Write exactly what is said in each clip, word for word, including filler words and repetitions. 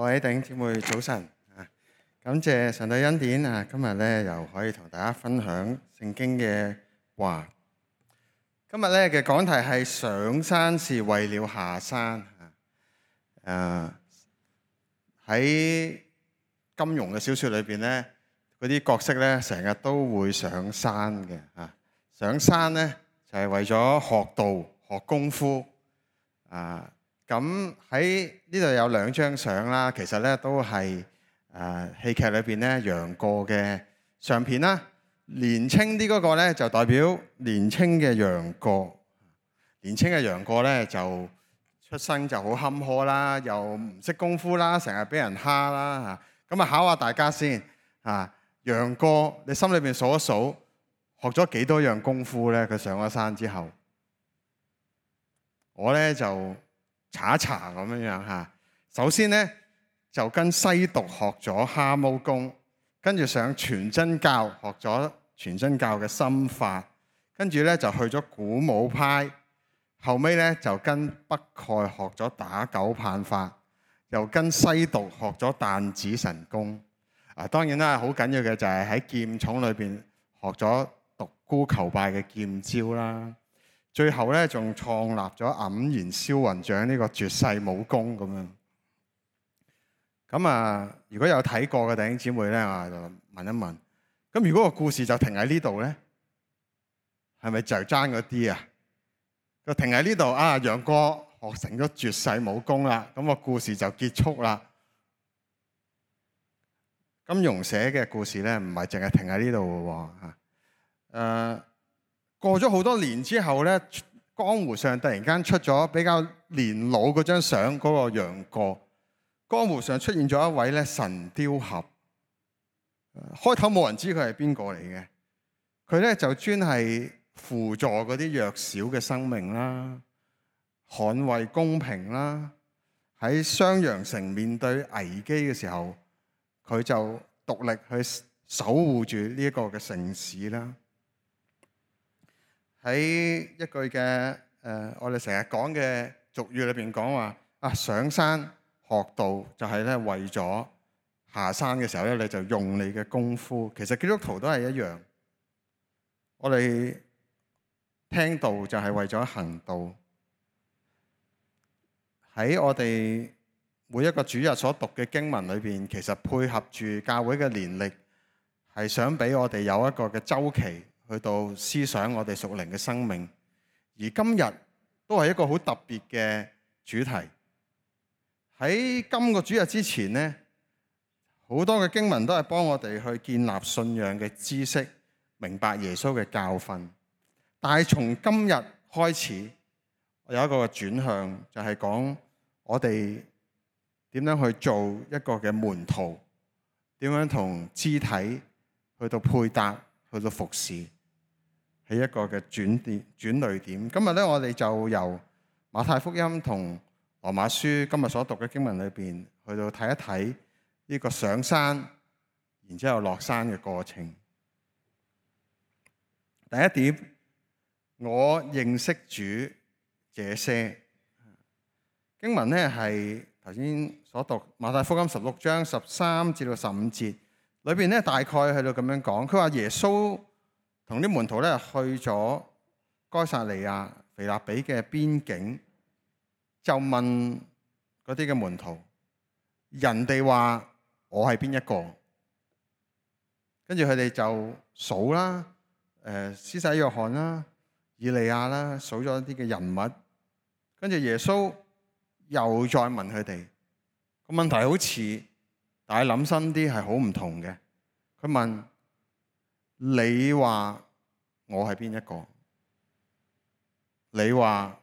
各位弟兄姊妹早晨啊！感謝上帝恩典啊！今日咧又可以同大家分享聖經嘅話。今日咧嘅講題係上山是為了下山啊！誒喺金庸嘅小說裏邊咧，嗰啲角色咧成日都會上山嘅啊！上山咧就係為咗學道、學功夫啊！咁喺呢度有兩張相啦，其實咧都係誒戲劇裏邊咧楊過嘅相片啦。年青啲嗰個咧就代表年青嘅楊過，年青嘅楊過咧就出生就好坎坷啦，又唔識功夫啦，成日俾人蝦啦嚇。咁啊考下大家先嚇，楊過你心裏邊數一數，學咗幾多樣功夫咧？佢上咗山之後，我咧就查一查咁樣樣嚇。首先咧就跟西毒學咗蛤蟆功，跟住上全真教學咗全真教嘅心法，跟住咧就去咗鼓舞派，後尾咧就跟北丐學咗打狗棒法，又跟西毒學咗彈指神功。啊，當然啦，好緊要嘅就係喺劍塚裏邊學咗獨孤求敗嘅劍招啦。最後咧，仲創立咗黯然銷魂掌呢個絕世武功咁樣。咁啊，如果有睇過嘅弟兄姊妹咧，我就問一問。咁如果個故事就停喺呢度咧，係咪就爭嗰啲啊？就停喺呢度啊，楊過學成咗絕世武功啦，咁個故事就結束啦。金庸寫嘅故事咧，唔係淨係停喺呢度嘅喎嚇。誒。過咗好多年之後咧，江湖上突然間出咗比較年老嗰張相，嗰個楊過。江湖上出現咗一位咧神雕俠。開頭冇人知佢係邊個嚟嘅，佢咧就專係輔助嗰啲弱小嘅生命啦，捍衛公平啦。喺襄陽城面對危機嘅時候，佢就獨力去守護住呢一個嘅城市啦。喺一句嘅誒、呃，我哋成日講嘅俗語裏邊講話啊，上山學道就係咧為咗下山嘅時候咧，你就用你嘅功夫。其實基督徒都係一樣，我哋聽道就係為咗行道。喺我哋每一個主日所讀嘅經文裏邊，其實配合住教會嘅年歷，係想俾我哋有一個嘅週期。去到思想我哋屬靈嘅生命，而今日都係一個好特別嘅主題。喺今個主日之前呢，好多嘅經文都係幫我哋去建立信仰嘅知識，明白耶穌嘅教訓。但係從今日開始，我有一個轉向，就係講我哋點樣去做一個嘅門徒，點樣同肢體去到配搭，去到服侍。係一個嘅轉點、轉捩點。今日咧，我哋就由馬太福音同羅馬書今日所讀嘅經文裏邊，去到睇一睇呢個上山，然之後落山嘅過程。第一點，我認識主這些經文咧，係頭先所讀馬太福音十六章十三至到十五節裏邊咧，大概喺度咁樣講。佢話耶穌同啲門徒咧去咗該撒利亞腓立比嘅邊境，就問嗰啲嘅門徒：人哋話我係邊一個？跟住佢哋就數啦，誒施洗約翰啦、以利亞啦，數咗一啲嘅人物。跟住耶穌又再問佢哋個問題，好似但係諗深啲係好唔同嘅。佢問：你話我係邊一個？你話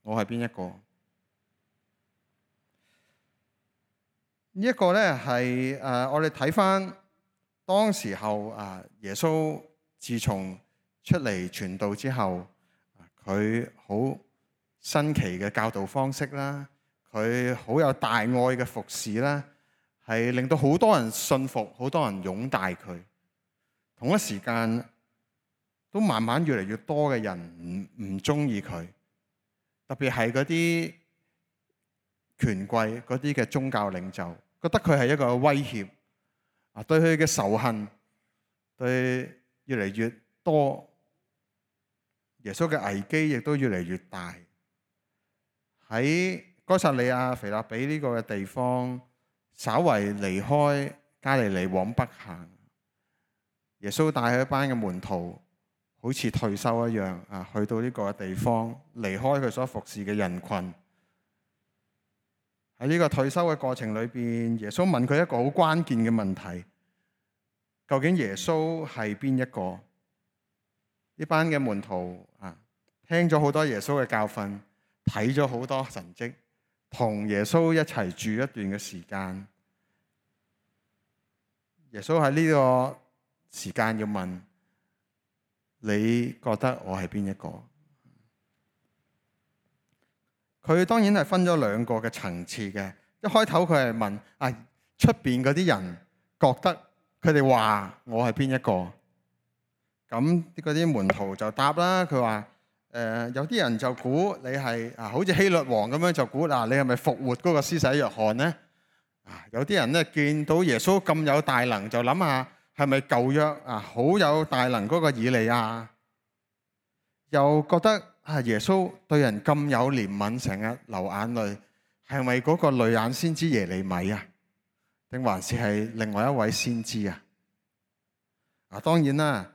我係邊一個？呢一個咧係誒，我哋睇翻當時候啊，耶穌自從出嚟傳道之後，佢好新奇嘅教導方式啦，佢好有大愛嘅服侍啦，係令到好多人信服，好多人擁戴佢。同一時間都慢慢越嚟越多嘅人唔唔中意佢，特別係嗰啲權貴、嗰啲嘅宗教領袖，覺得佢係一個威脅啊，對佢嘅仇恨對越嚟越多，耶穌嘅危機亦都越嚟越大。喺該撒利亞腓立比呢個嘅地方，稍為離開加利利往北行，耶穌帶佢一班嘅門徒，好似退休一樣啊，去到呢個地方，離開佢所服侍嘅人群。喺呢個退休嘅過程裏邊，耶穌問佢一個好關鍵嘅問題：究竟耶穌係邊一個？呢班嘅門徒啊，聽咗好多耶穌嘅教訓，睇咗好多神蹟，同耶穌一齊住一段嘅時間。耶穌喺呢個時間要問：你覺得我係邊一個？佢當然係分咗兩個嘅層次嘅。一開頭佢係問啊，出邊嗰啲人覺得佢哋話我係邊一個？咁嗰啲門徒就答啦，佢話誒有啲人就估你係啊，好似希律王咁樣就估嗱，你係咪復活嗰個施洗約翰呢？啊，有啲人咧見到耶穌咁有大能，就諗下係咪舊約啊好有大能嗰個以利亞？又覺得啊，耶穌對人咁有憐憫，成日流眼淚，係咪嗰個淚眼先知耶利米啊？定還是係另外一位先知啊？啊，當然啦。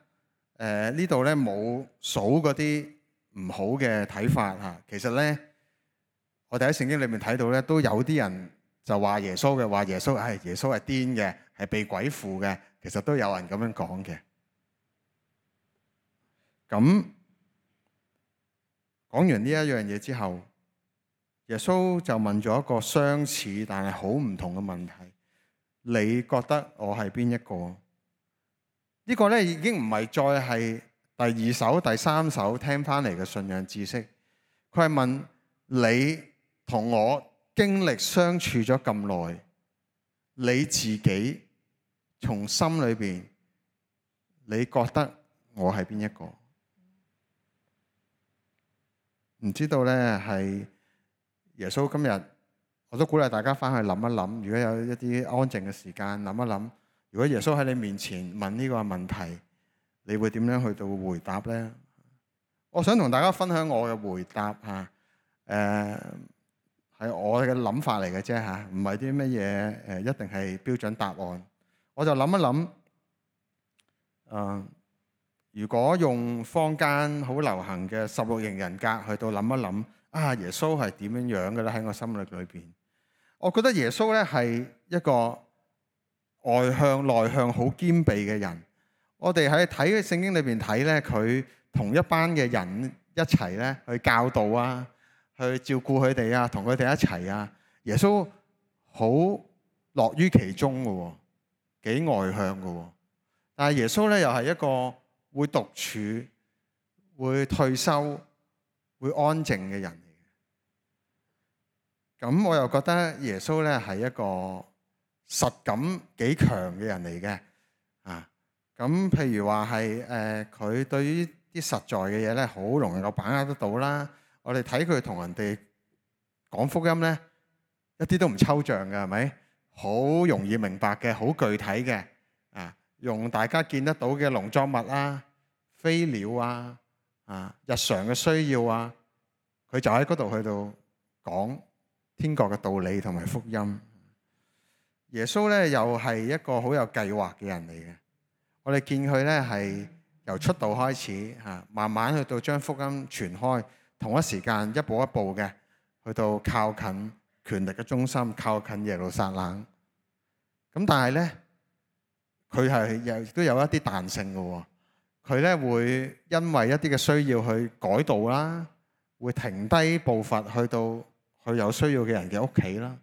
誒、呃、呢度咧冇數嗰啲唔好嘅睇法嚇，其實咧我哋喺聖經裏面睇到咧，都有啲人就話耶穌嘅，話耶穌係、哎、耶穌係癲嘅，係被鬼附嘅，其實都有人咁樣講嘅。咁講完呢一樣嘢之後，耶穌就問咗一個相似但係好唔同嘅問題：你覺得我係邊一個？呢個咧已經唔係再係第二手、第三手聽翻嚟嘅信仰知識，佢係問你同我經歷相處咗咁耐，你自己從心裏邊，你覺得我係邊一個？唔知道咧，係耶穌今日，我都鼓勵大家翻去諗一諗，如果有一啲安靜嘅時間諗一諗。如果耶穌喺你面前問呢個問題，你會點樣去到回答呢？我想同大家分享我嘅回答嚇，誒、呃、係我嘅諗法嚟嘅啫嚇，唔係啲乜嘢誒一定係標準答案。我就諗一諗，誒、呃、如果用坊間好流行嘅十六型人格去到諗一諗，啊耶穌係點樣樣嘅咧？喺我心裏裏邊，我覺得耶穌咧係一個外向內向好兼備嘅人。我哋喺睇嘅聖經裏邊睇咧，佢同一班嘅人一齊咧去教導啊，去照顧佢哋啊，同佢哋一齊啊。耶穌好樂於其中嘅，幾外向嘅。但係耶穌咧又係一個會獨處、會退休、會安靜嘅人嚟嘅。咁我又覺得耶穌咧係一個實感幾強嘅人嚟嘅，啊，咁譬如話係誒，佢、呃、對於啲實在嘅嘢咧，好容易夠把握得到啦。我哋睇佢同人哋講福音咧，一啲都唔抽象嘅，係咪？好容易明白嘅，好具體嘅，啊，用大家見得到嘅農作物啊、飛鳥啊、啊日常嘅需要啊，佢就喺嗰度去到講天國嘅道理同埋福音。耶穌咧又係一個好有計劃嘅人嚟嘅。我哋見佢咧係由出道開始嚇，慢慢去到將福音傳開，同一時間一步一步嘅去到靠近權力嘅中心，靠近耶路撒冷。咁但係咧，佢係亦都有一啲彈性嘅。佢咧會因為一啲嘅需要去改道啦，會停低步伐去到去有需要嘅人嘅屋企啦。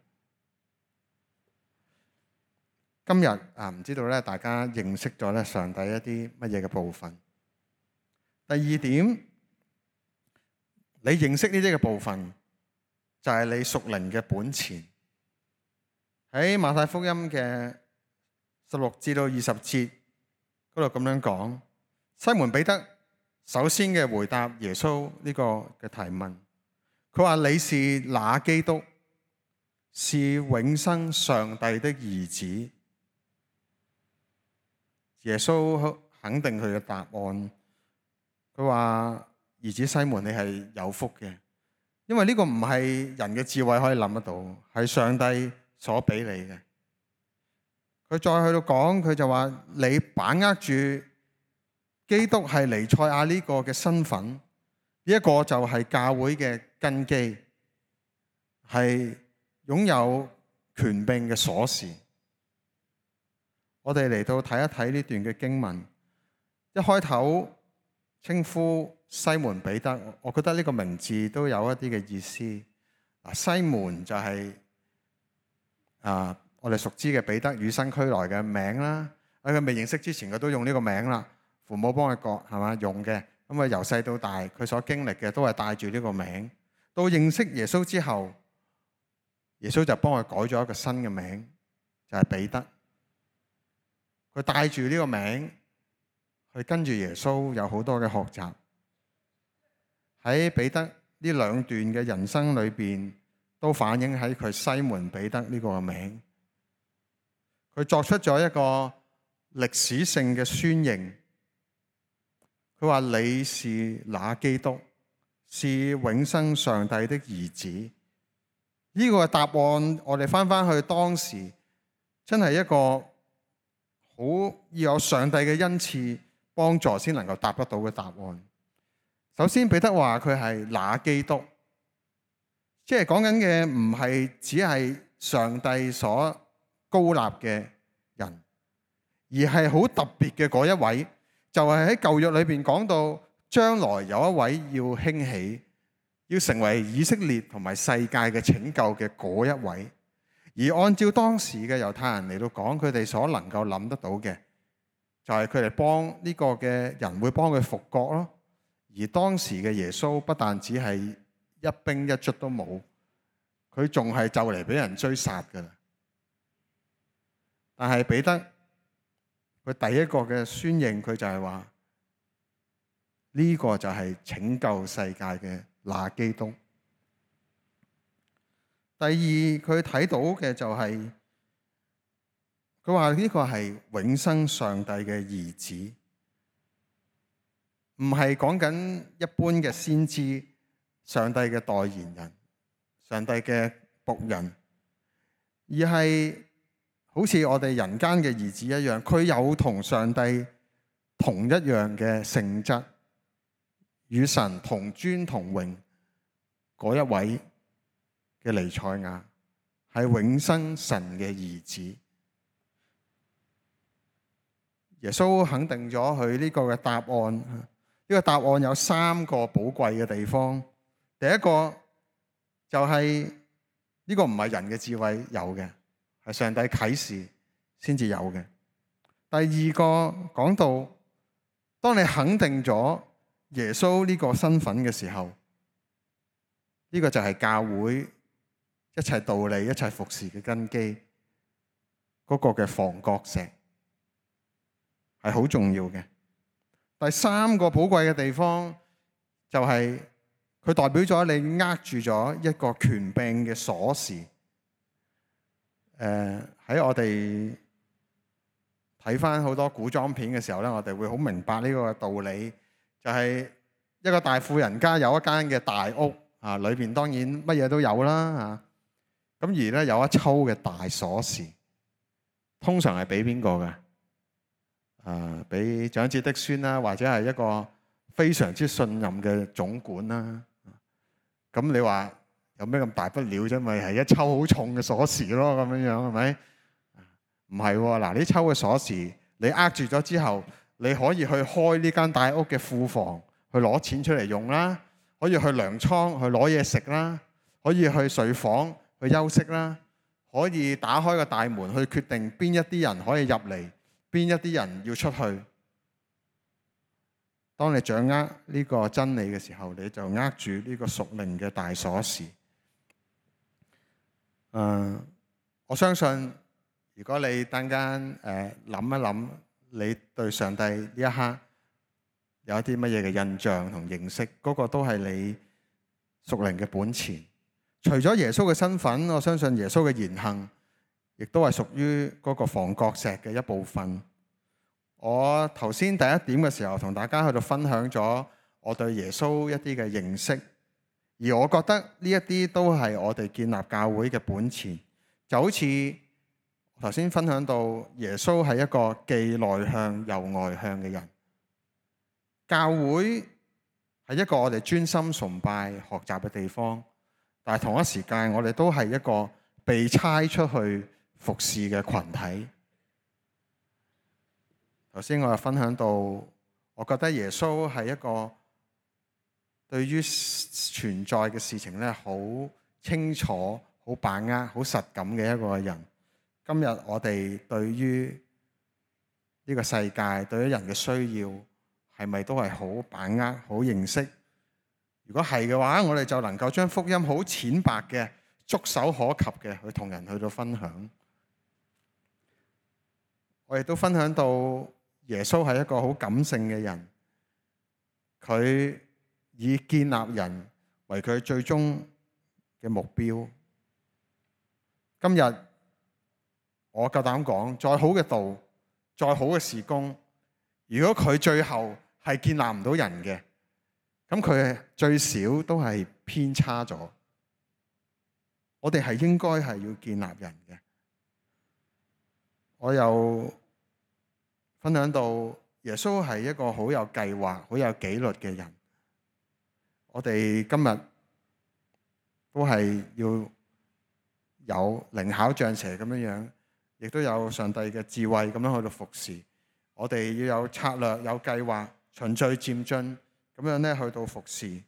今日啊，唔知道咧，大家認識咗咧上帝一啲乜嘢嘅部分？第二點，你認識呢啲嘅部分，就係你屬靈嘅本錢。喺馬太福音嘅十六至到二十節嗰度咁樣講，西門彼得首先嘅回答耶穌呢個嘅提問，佢話：你是那基督，是永生上帝的兒子。耶穌肯定佢嘅答案，佢話：兒子西門，你係有福嘅，因為呢個唔係人嘅智慧可以諗得到，係上帝所俾你嘅。佢再去到講，佢就話：你把握住基督係彌賽亞呢個嘅身份，呢一個就係教會嘅根基，係擁有權柄嘅鎖匙。我哋嚟到睇一睇呢段嘅經文，一開頭稱呼西門彼得，我覺得呢個名字都有一啲嘅意思。嗱，西門就係啊，我哋熟知嘅彼得與生俱來嘅名啦。喺佢未認識之前，佢都用呢個名啦。父母幫佢割係嘛用嘅，咁啊由細到大，佢所經歷嘅都係帶住呢個名。到認識耶穌之後，耶穌就幫佢改咗一個新嘅名，就係彼得。佢帶住呢個名去跟住耶穌，有好多嘅學習。喺彼得呢兩段嘅人生裏邊，都反映喺佢西門彼得呢個名。佢作出咗一個歷史性嘅宣認。佢話：你是那基督，是永生上帝的兒子。呢個答案，我哋翻翻去當時，真係一個好要有上帝嘅恩賜幫助先能夠答得到嘅答案。首先，彼得話佢係那基督，即係講緊嘅唔係只係上帝所高立嘅人，而係好特別嘅嗰一位，就係喺舊約裏邊講到將來有一位要興起，要成為以色列同埋世界嘅拯救嘅嗰一位。而按照當時嘅猶太人嚟到講，佢哋所能夠諗得到嘅，就係佢哋幫呢個嘅人會幫佢復國咯。而當時嘅耶穌不但只係一兵一卒都冇，佢仲係就嚟俾人追殺噶啦。但係彼得佢第一個嘅宣認，佢就係話呢個就係拯救世界嘅那基督。第二，佢睇到嘅就係佢話呢個係永生上帝嘅兒子，唔係講緊一般嘅先知，上帝嘅代言人，上帝嘅僕人，而係好似我哋人間嘅兒子一樣，佢有同上帝同一樣嘅性質，與神同尊同榮嗰一位嘅彌賽亞，係永生神嘅兒子。耶穌肯定咗佢呢個嘅答案。呢個答案有三個寶貴嘅地方。第一個就係呢個唔係人嘅智慧有嘅，係上帝啟示先至有嘅。第二個講到，當你肯定咗耶穌呢個身份嘅時候，呢個就係教會一切道理、一切服侍嘅根基，嗰個嘅房角石係好重要嘅。第三個寶貴嘅地方就係佢代表咗你握住咗一個權柄嘅鎖匙。誒、呃、喺我哋睇翻好多古裝片嘅時候咧，我哋會好明白呢個道理，就係、是、一個大富人家有一間嘅大屋啊，裏邊當然乜嘢都有啦嚇。咁而咧有一抽嘅大鎖匙，通常係俾邊個嘅？啊，俾長子的孫啦，或者係一個非常之信任嘅總管啦。咁你話有咩咁大不了啫？咪係一抽好重嘅鎖匙咯，咁樣樣係咪？唔係喎，嗱，呢抽嘅鎖匙你握住咗之後，你可以去開呢間大屋嘅庫房去攞錢出嚟用啦，可以去糧倉去攞嘢食啦，可以去睡房去休息啦，可以打開個大門去決定邊一啲人可以入嚟，邊一啲人要出去。當你掌握呢個真理嘅時候，你就握住呢個屬靈嘅大鎖匙。呃，我相信如果你等間誒諗一諗，你對上帝呢一刻有一啲乜嘢嘅印象同認識，嗰個都係你屬靈嘅本錢。除咗耶穌嘅身份，我相信耶穌嘅言行亦都係屬於嗰個房角石嘅一部分。我頭先第一點嘅時候同大家去到分享咗我對耶穌一啲嘅認識，而我覺得呢一啲都係我哋建立教會嘅本錢。就好似頭先分享到耶穌係一個既內向又外向嘅人，教會係一個我哋專心崇拜學習嘅地方，但係同一時間我哋都係一個被差出去服侍嘅群體。頭先我又分享到，我覺得耶穌係一個對於存在嘅事情咧好清楚、好把握、好實感嘅一個人。今日我哋對於呢個世界、對於人嘅需要，係咪都係好把握、好認識？如果係嘅話，我哋就能夠將福音好淺白嘅、觸手可及嘅去同人去到分享。我亦都分享到耶穌係一個好感性嘅人，佢以建立人為佢最終嘅目標。今日我夠膽講，再好嘅道，再好嘅事工，如果佢最後係建立唔到人嘅，咁佢最少都係偏差咗。我哋係應該係要建立人嘅。我又分享到耶穌係一個好有計劃、好有紀律嘅人。我哋今日都係要有靈巧像蛇咁樣樣，亦都有上帝嘅智慧咁樣去到服侍。我哋要有策略、有計劃、循序漸進咁樣咧去到服侍。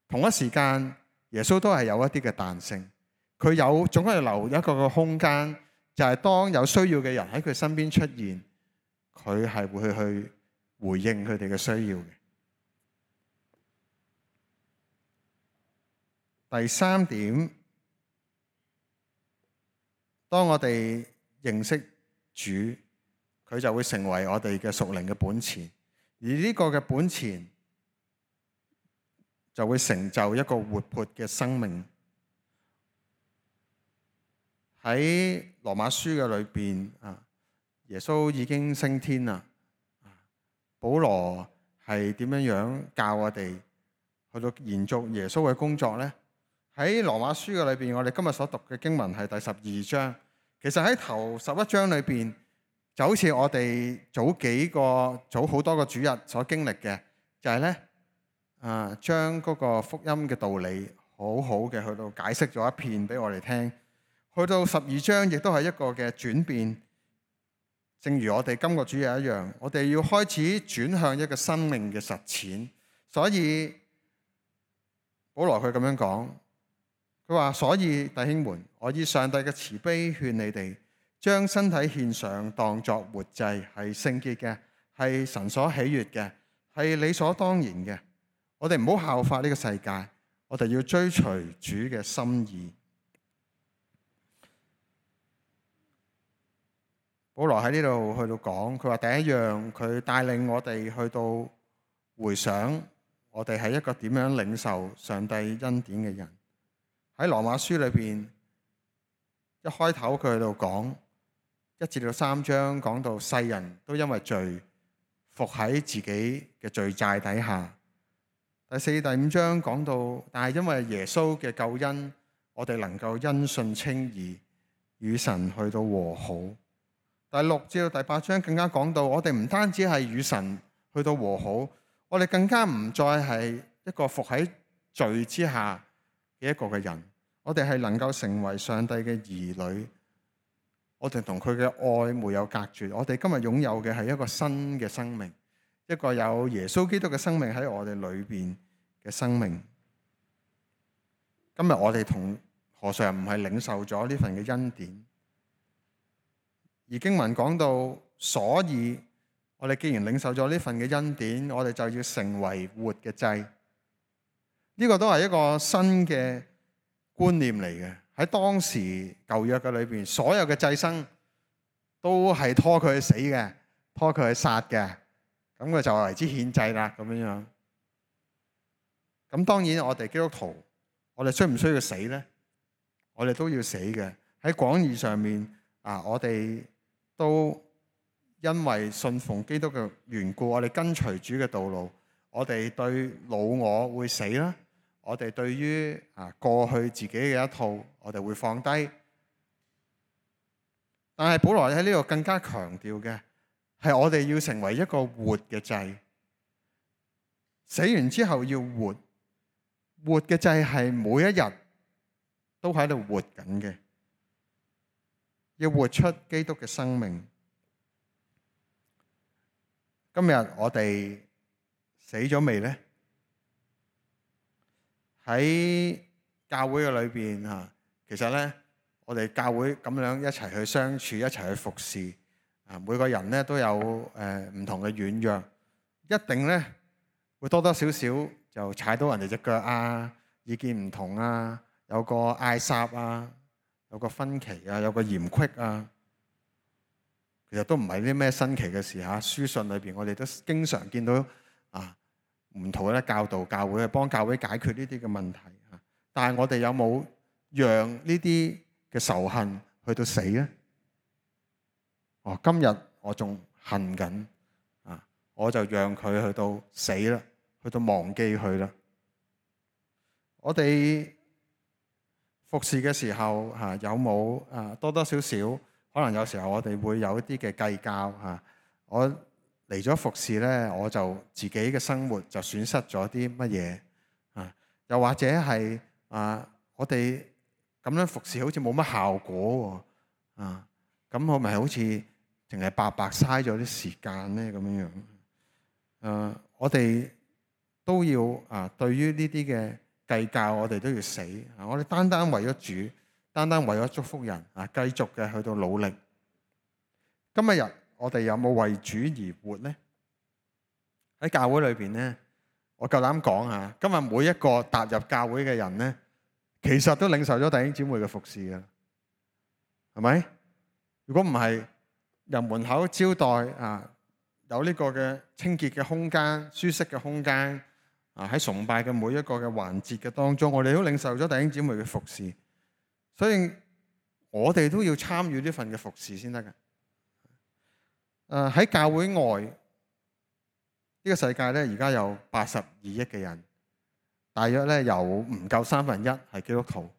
同一時間，耶穌都係有一啲嘅彈性，佢有總係留一個嘅空間，就係當有需要嘅人喺佢身邊出現，佢係會去回應佢哋嘅需要嘅。第三點，當我哋認識主，佢就會成為我哋嘅屬靈嘅本錢，而呢個嘅本錢就會成就一個活潑嘅生命。喺羅馬書嘅裏邊啊，耶穌已經升天啦。保羅係點樣樣教我哋去到延續耶穌嘅工作呢？喺羅馬書嘅裏邊，我哋今日所讀嘅經文係第十二章。其實喺頭十一章裏邊，就好似我哋早幾個、早好多個主日所經歷嘅，就係咧啊，將嗰個福音嘅道理好好嘅去到解釋咗一遍俾我哋聽。去到十二章，亦都係一個嘅轉變。正如我哋今個主日一樣，我哋要開始轉向一個生命嘅實踐。所以保羅佢咁樣講。佢話：所以弟兄們，我以上帝嘅慈悲勸你哋，將身體獻上，當作活祭，係聖潔嘅，係神所喜悅嘅，係理所當然嘅。我哋唔好效法呢個世界，我哋要追隨主嘅心意。保羅喺呢度去到講，佢話第一樣，佢帶領我哋去到回想，我哋係一個點樣領受上帝恩典嘅人。喺羅馬書裏邊，一開頭佢喺度講一至到三章，講到世人都因為罪伏喺自己嘅罪債底下。第四、第五章講到，但係因為耶穌嘅救恩，我哋能夠因信稱義，與神去到和好。第六至到第八章更加講到，我哋唔單止係與神去到和好，我哋更加唔再係一個伏喺罪之下嘅一個嘅人，我哋係能夠成為上帝嘅兒女，我哋同佢嘅愛沒有隔絕。我哋今日擁有嘅係一個新嘅生命，一個有耶穌基督嘅生命喺我哋裏邊嘅生命。今日我哋同何嘗唔係領受咗呢份嘅恩典？而經文講到，所以我哋既然領受咗呢份嘅恩典，我哋就要成為活嘅祭。呢個都係一個新嘅觀念嚟嘅。喺當時舊約嘅裏邊，所有嘅祭牲都係拖佢去死嘅，拖佢去殺嘅，咁佢就為之獻祭啦，咁樣樣。咁當然我哋基督徒，我哋需唔需要死呢？我哋都要死嘅。喺廣義上面啊，我哋都因為信奉基督嘅緣故，我哋跟隨主嘅道路，我哋對老我會死啦。我哋對於啊過去自己嘅一套，我哋會放低。但係保羅喺呢度更加強調嘅係我哋要成為一個活嘅祭，死完之後要活。活嘅祭係每一日都喺度活緊嘅，要活出基督嘅生命。今日我哋死咗未呢？喺教會嘅裏邊嚇，其實咧，我哋教會咁樣一齊去相處，一齊去服侍啊。每個人咧都有誒唔同嘅軟弱，一定咧會多多少少就踩到人哋隻腳啊，意見唔同啊，有個嗌霎啊，有個分歧啊，有個嫌隙啊。其實都唔係啲咩新奇嘅事嚇。書信裏邊我哋都經常見到啊。門徒咧教導教會，去幫教會解決呢啲嘅問題嚇。但係我哋有冇讓呢啲嘅仇恨去到死咧？哦，今日我仲恨緊啊，我就讓佢去到死啦，去到忘記佢啦。我哋服侍嘅時候嚇，有冇啊多多少少可能有時候我哋會有一啲嘅計較嚇。我嚟咗服侍咧，我就自己嘅生活就損失咗啲乜嘢啊？又或者係啊，我哋咁樣服侍好似冇乜效果喎啊！咁我咪好似淨係白白嘥咗啲時間咧咁樣樣。啊，我哋都要啊，對於呢啲嘅計較，我哋都要死啊！我哋單單為咗主，單單為咗祝福人啊，繼續嘅去到努力。今日日。我哋有冇為主而活呢？喺教會裏邊呢，我夠膽講啊，今日每一個踏入教會嘅人呢，其實都領受咗弟兄姊妹嘅服侍嘅，係咪？如果唔係入門口招待啊，有呢個嘅清潔嘅空間、舒適嘅空間啊，喺崇拜嘅每一個嘅環節嘅當中，我哋都領受咗弟兄姊妹嘅服侍，所以我哋都要參與呢份嘅服侍先得嘅。誒喺教會外呢個世界咧，而家有八十二億嘅人，大約咧有唔夠三分一係基督徒，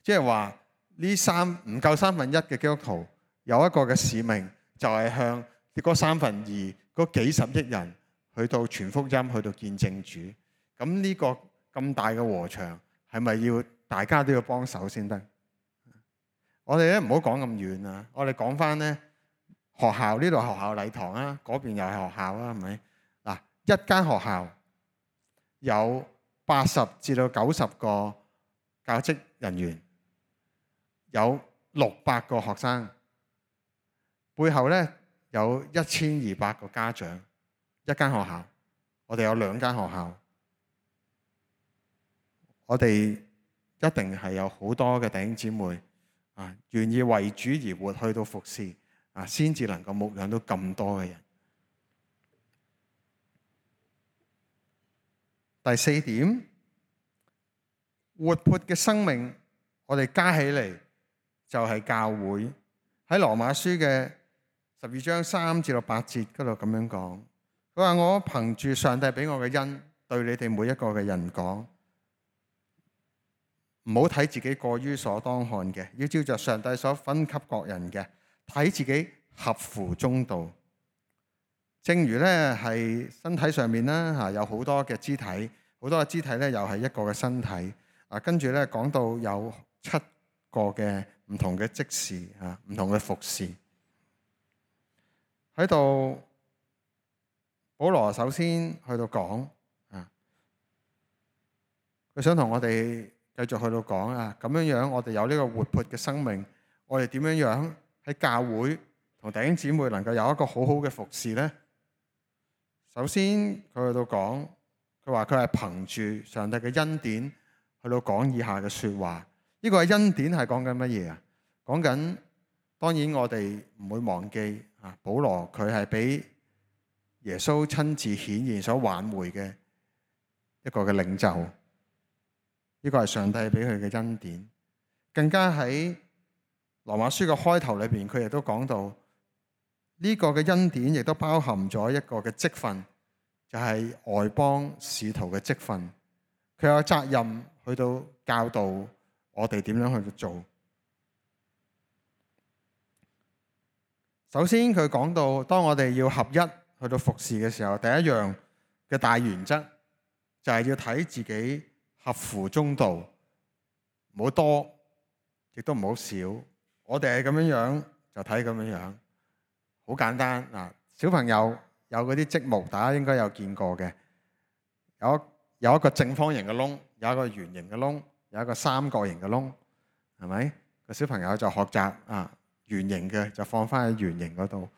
即係話呢三唔夠三分一嘅基督徒有一個嘅使命，就係向嗰三分二嗰幾十億人去到傳福音，去到見證主。咁呢個咁大嘅禾場，係咪要大家都要幫手先得？我哋咧唔好講咁遠啊！我哋講翻咧。學校呢度學校禮堂啊，嗰邊又係學校啊，係咪？嗱，一間學校有八十至到九十個教職人員，有六百個學生，背後咧有一千二百個家長。一間學校，我哋有兩間學校，我哋一定係有好多嘅弟兄姊妹啊，願意為主而活，去到服侍。啊，先至能夠牧養到咁多嘅人。第四點，活潑嘅生命，我哋加起嚟就係教會。喺羅馬書嘅十二章三至到八節嗰度咁樣講，佢話：我憑住上帝俾我嘅恩，對你哋每一個嘅人講，唔好睇自己過於所當看嘅，要照着上帝所分給各人嘅。睇自己合乎中道，正如咧係身體上面啦嚇，有好多嘅肢體，好多嘅肢體咧又係一個嘅身體啊。跟住咧講到有七個嘅唔同嘅職事啊，唔同嘅服侍喺度。保羅首先去到講啊，佢想同我哋繼續去到講啊，咁樣樣我哋有呢個活潑嘅生命，我哋點樣樣？喺教會同弟兄姊妹能夠有一個好好嘅服侍呢？首先佢去到講，佢話佢係憑住上帝嘅恩典去到講以下嘅説話。呢個恩典係講緊乜嘢啊？講緊當然我哋唔會忘記啊，保羅佢係俾耶穌親自顯現所挽回嘅一個嘅領袖。呢個係上帝俾佢嘅恩典。更加喺羅馬書嘅開頭裏邊，佢亦都講到呢個嘅恩典亦都包含咗一個嘅職分，就係外邦使徒嘅職分。佢有責任去到教導我哋點樣去做。首先佢講到，當我哋要合一去到服侍嘅時候，第一樣嘅大原則就係要睇自己合乎中道，唔好多，亦都唔好少。我哋係咁樣樣就睇咁樣樣，好簡單嗱。小朋友有嗰啲積木，大家應該有見過嘅，有有一個正方形嘅窿，有一個圓形嘅窿，有一個三角形嘅窿，係咪？個小朋友就學習啊，圓形嘅就放翻喺圓形嗰度，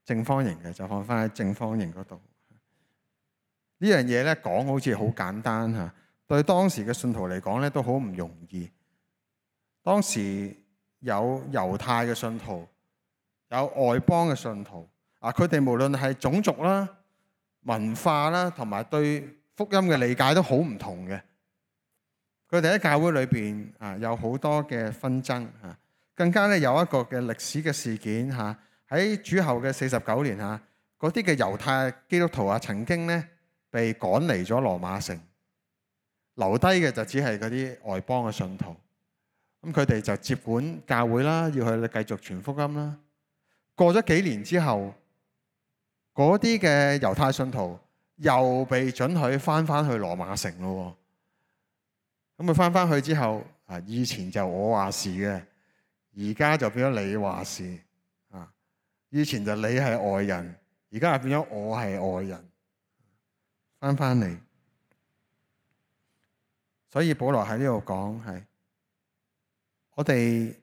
正方形嘅就放翻喺正方形嗰度。呢樣嘢咧講好似好簡單嚇，對當時嘅信徒嚟講咧都好唔容易。當時有猶太嘅信徒，有外邦嘅信徒啊，佢哋無論係種族啦、文化啦，同埋對福音嘅理解都好唔同嘅。佢哋喺教會裏邊啊，有好多嘅紛爭嚇，更加咧有一個嘅歷史嘅事件嚇，喺主後嘅四十九年嚇，嗰啲嘅猶太基督徒啊，曾經咧被趕離咗羅馬城，留低嘅就只係嗰啲外邦嘅信徒。咁佢哋就接管教會啦，要去繼續傳福音啦。過咗幾年之後，嗰啲嘅猶太信徒又被准許翻翻去羅馬城咯。咁佢翻翻去之後，啊，以前就我話事嘅，而家就變咗你話事啊。以前就你係外人，而家就變咗我係外人，翻翻嚟。所以保羅喺呢度講係，我哋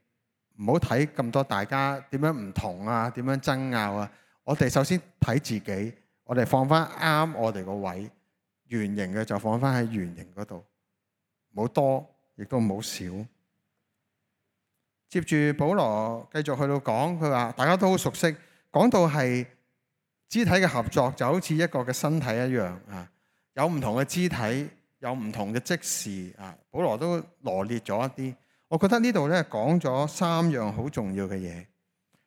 唔好睇咁多大家點樣唔同啊，點樣爭拗啊。我哋首先睇自己，我哋放翻啱我哋個位，圓形嘅就放翻喺圓形嗰度，唔好多，亦都唔好少。接住保羅繼續去到講，佢話大家都好熟悉，講到係肢體嘅合作就好似一個嘅身體一樣啊，有唔同嘅肢體，有唔同嘅職事啊。保羅都羅列咗一啲。我覺得呢度咧講咗三樣好重要嘅嘢。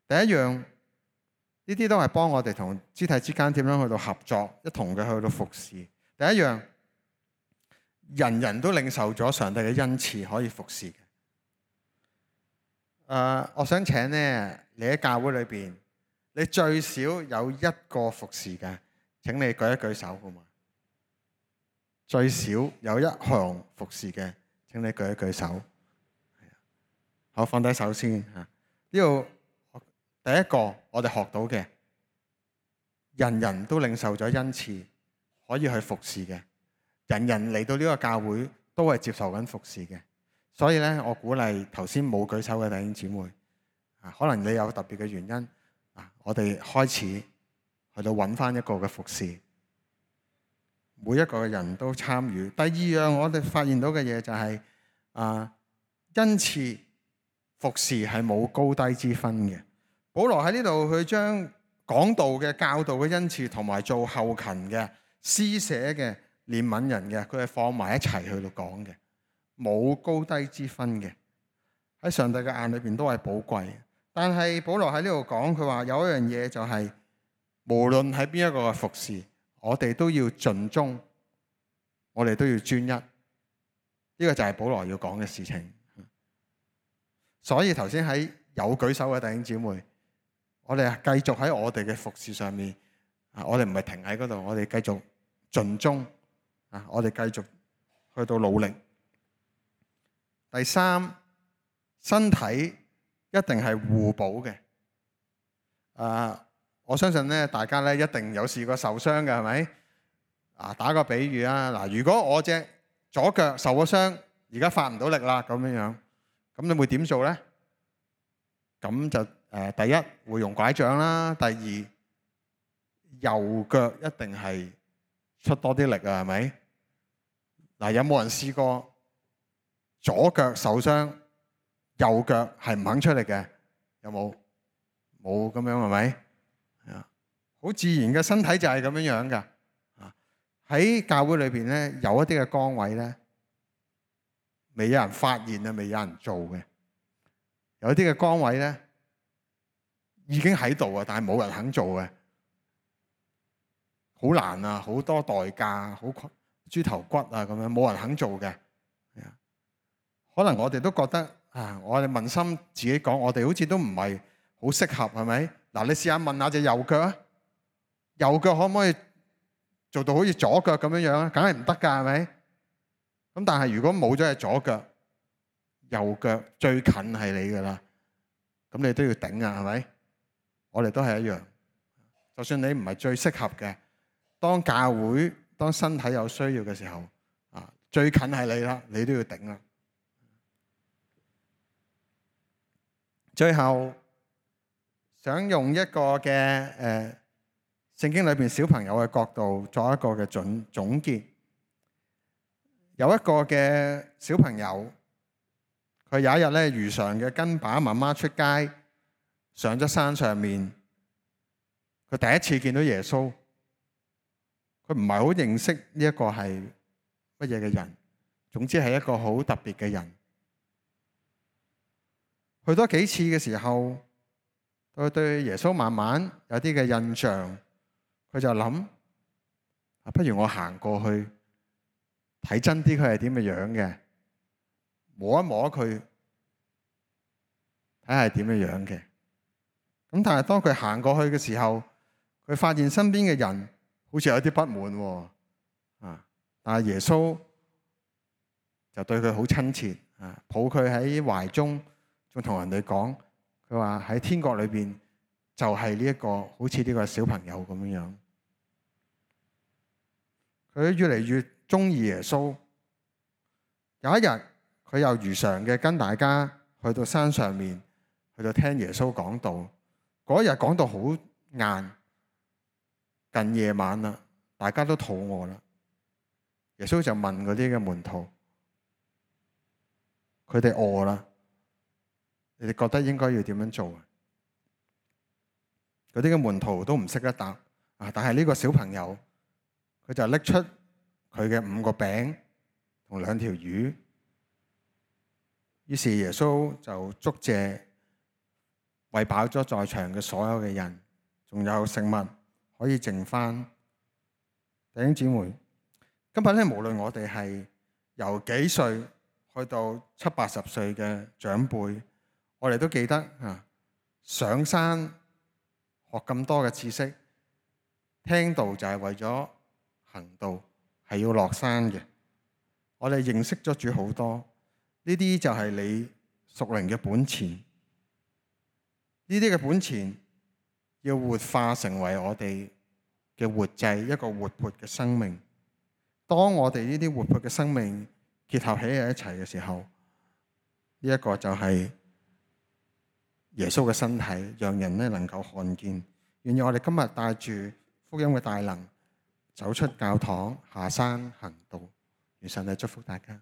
第一樣，呢啲都係幫我哋同肢體之間點樣去到合作，一同嘅去到服侍。第一樣，人人都領受咗上帝嘅恩賜，可以服侍嘅。誒、呃，我想請咧，你喺教會裏邊，你最少有一個服侍嘅，請你舉一舉手好嘛？最少有一項服侍嘅，請你舉一舉手。好，放低手先嚇。呢度第一個我哋學到嘅，人人都領受咗恩賜，可以去服侍嘅。人人嚟到呢個教會都係接受緊服侍嘅。所以咧，我鼓勵頭先冇舉手嘅弟兄姊妹啊，可能你有特別嘅原因啊，我哋開始去到揾翻一個嘅服侍，每一個人都參與。第二樣我哋發現到嘅嘢就係、是、啊，恩賜服侍係冇高低之分嘅。保羅喺呢度去將講道嘅教導嘅恩賜同埋做後勤嘅施捨嘅憐憫人嘅，佢係放埋一齊去到講嘅，冇高低之分嘅。喺上帝嘅眼裏邊都係寶貴。但係保羅喺呢度講，佢話有一樣嘢就係、是，無論喺邊一個嘅服侍，我哋都要盡忠，我哋都要專一。呢、這個就係保羅要講嘅事情。所以頭先喺有舉手嘅弟兄姊妹，我哋繼續喺我哋嘅服侍上面啊，我哋唔係停喺嗰度，我哋繼續盡忠啊，我哋繼續去到努力。第三，身體一定係互補嘅。啊，我相信咧，大家咧一定有試過受傷嘅，係咪？啊，打個比喻啊，嗱，如果我隻左腳受咗傷，而家發唔到力啦，咁樣樣。咁你會點做咧？咁就誒、呃，第一會用拐杖啦。第二，右腳一定係出多啲力啊，係咪？嗱，有冇人試過左腳受傷，右腳係唔肯出力嘅？有冇？冇咁樣係咪？啊，好自然嘅身體就係咁樣樣噶。啊，喺教會裏邊咧，有一啲嘅崗位咧，未有人發現啊，未有人做嘅。有啲嘅崗位咧已經喺度啊，但係冇人肯做嘅，好難啊，好多代價，好豬頭骨啊咁樣，冇人肯做嘅。可能我哋都覺得啊，我哋問心自己講，我哋好似都唔係好適合，係咪？嗱，你試下問下隻右腳啊，右腳可唔可以做到好似左腳咁樣樣啊？梗係唔得㗎，係咪？咁但係如果冇咗隻左腳，右腳最近係你㗎啦，咁你都要頂啊，係咪？我哋都係一樣，就算你唔係最適合嘅，當教會當身體有需要嘅時候啊，最近係你啦，你都要頂啦。最後想用一個嘅誒聖經裏邊小朋友嘅角度作一個嘅總總結。有一個嘅小朋友，佢有一日咧如常嘅跟爸爸媽媽出街，上咗山上面，佢第一次見到耶穌，佢唔係好認識呢一個係乜嘢嘅人，總之係一個好特別嘅人。去多幾次嘅時候，佢對耶穌慢慢有啲嘅印象，佢就諗：啊，不如我行過去睇真啲，佢係點嘅樣嘅，摸一摸佢，睇下係點嘅樣嘅。咁但係當佢行過去嘅時候，佢發現身邊嘅人好似有啲不滿喎，啊！但係耶穌就對佢好親切，啊，抱佢喺懷中。仲同人哋講，佢話喺天國裏邊就係呢一個好似呢個小朋友咁樣樣。佢越嚟越中意耶穌。有一日，佢又如常嘅跟大家去到山上面，去到聽耶穌講道。嗰日講到好晏，近夜晚啦，大家都肚餓啦。耶穌就問嗰啲嘅門徒，佢哋餓啦。你哋覺得應該要點樣做啊？嗰啲嘅門徒都唔識得答啊！但係呢個小朋友，佢就拎出佢嘅五個餅同兩條魚。於是耶穌就祝謝，餵飽咗在場嘅所有嘅人，仲有食物可以剩返。弟兄姊妹，今日咧，無論我哋係由幾歲去到七八十歲嘅長輩，我哋都記得啊，上山學咁多嘅知識，聽道就係為咗行道，係要落山嘅。我哋認識咗主好多，呢啲就係你屬靈嘅本錢。呢啲嘅本錢要活化成為我哋嘅活祭，一個活潑嘅生命。當我哋呢啲活潑嘅生命結合起喺一齊嘅時候，呢一個就係耶穌嘅身體，讓人咧能夠看見。願意我哋今日帶住福音嘅大能，走出教堂，下山行道。願上帝祝福大家。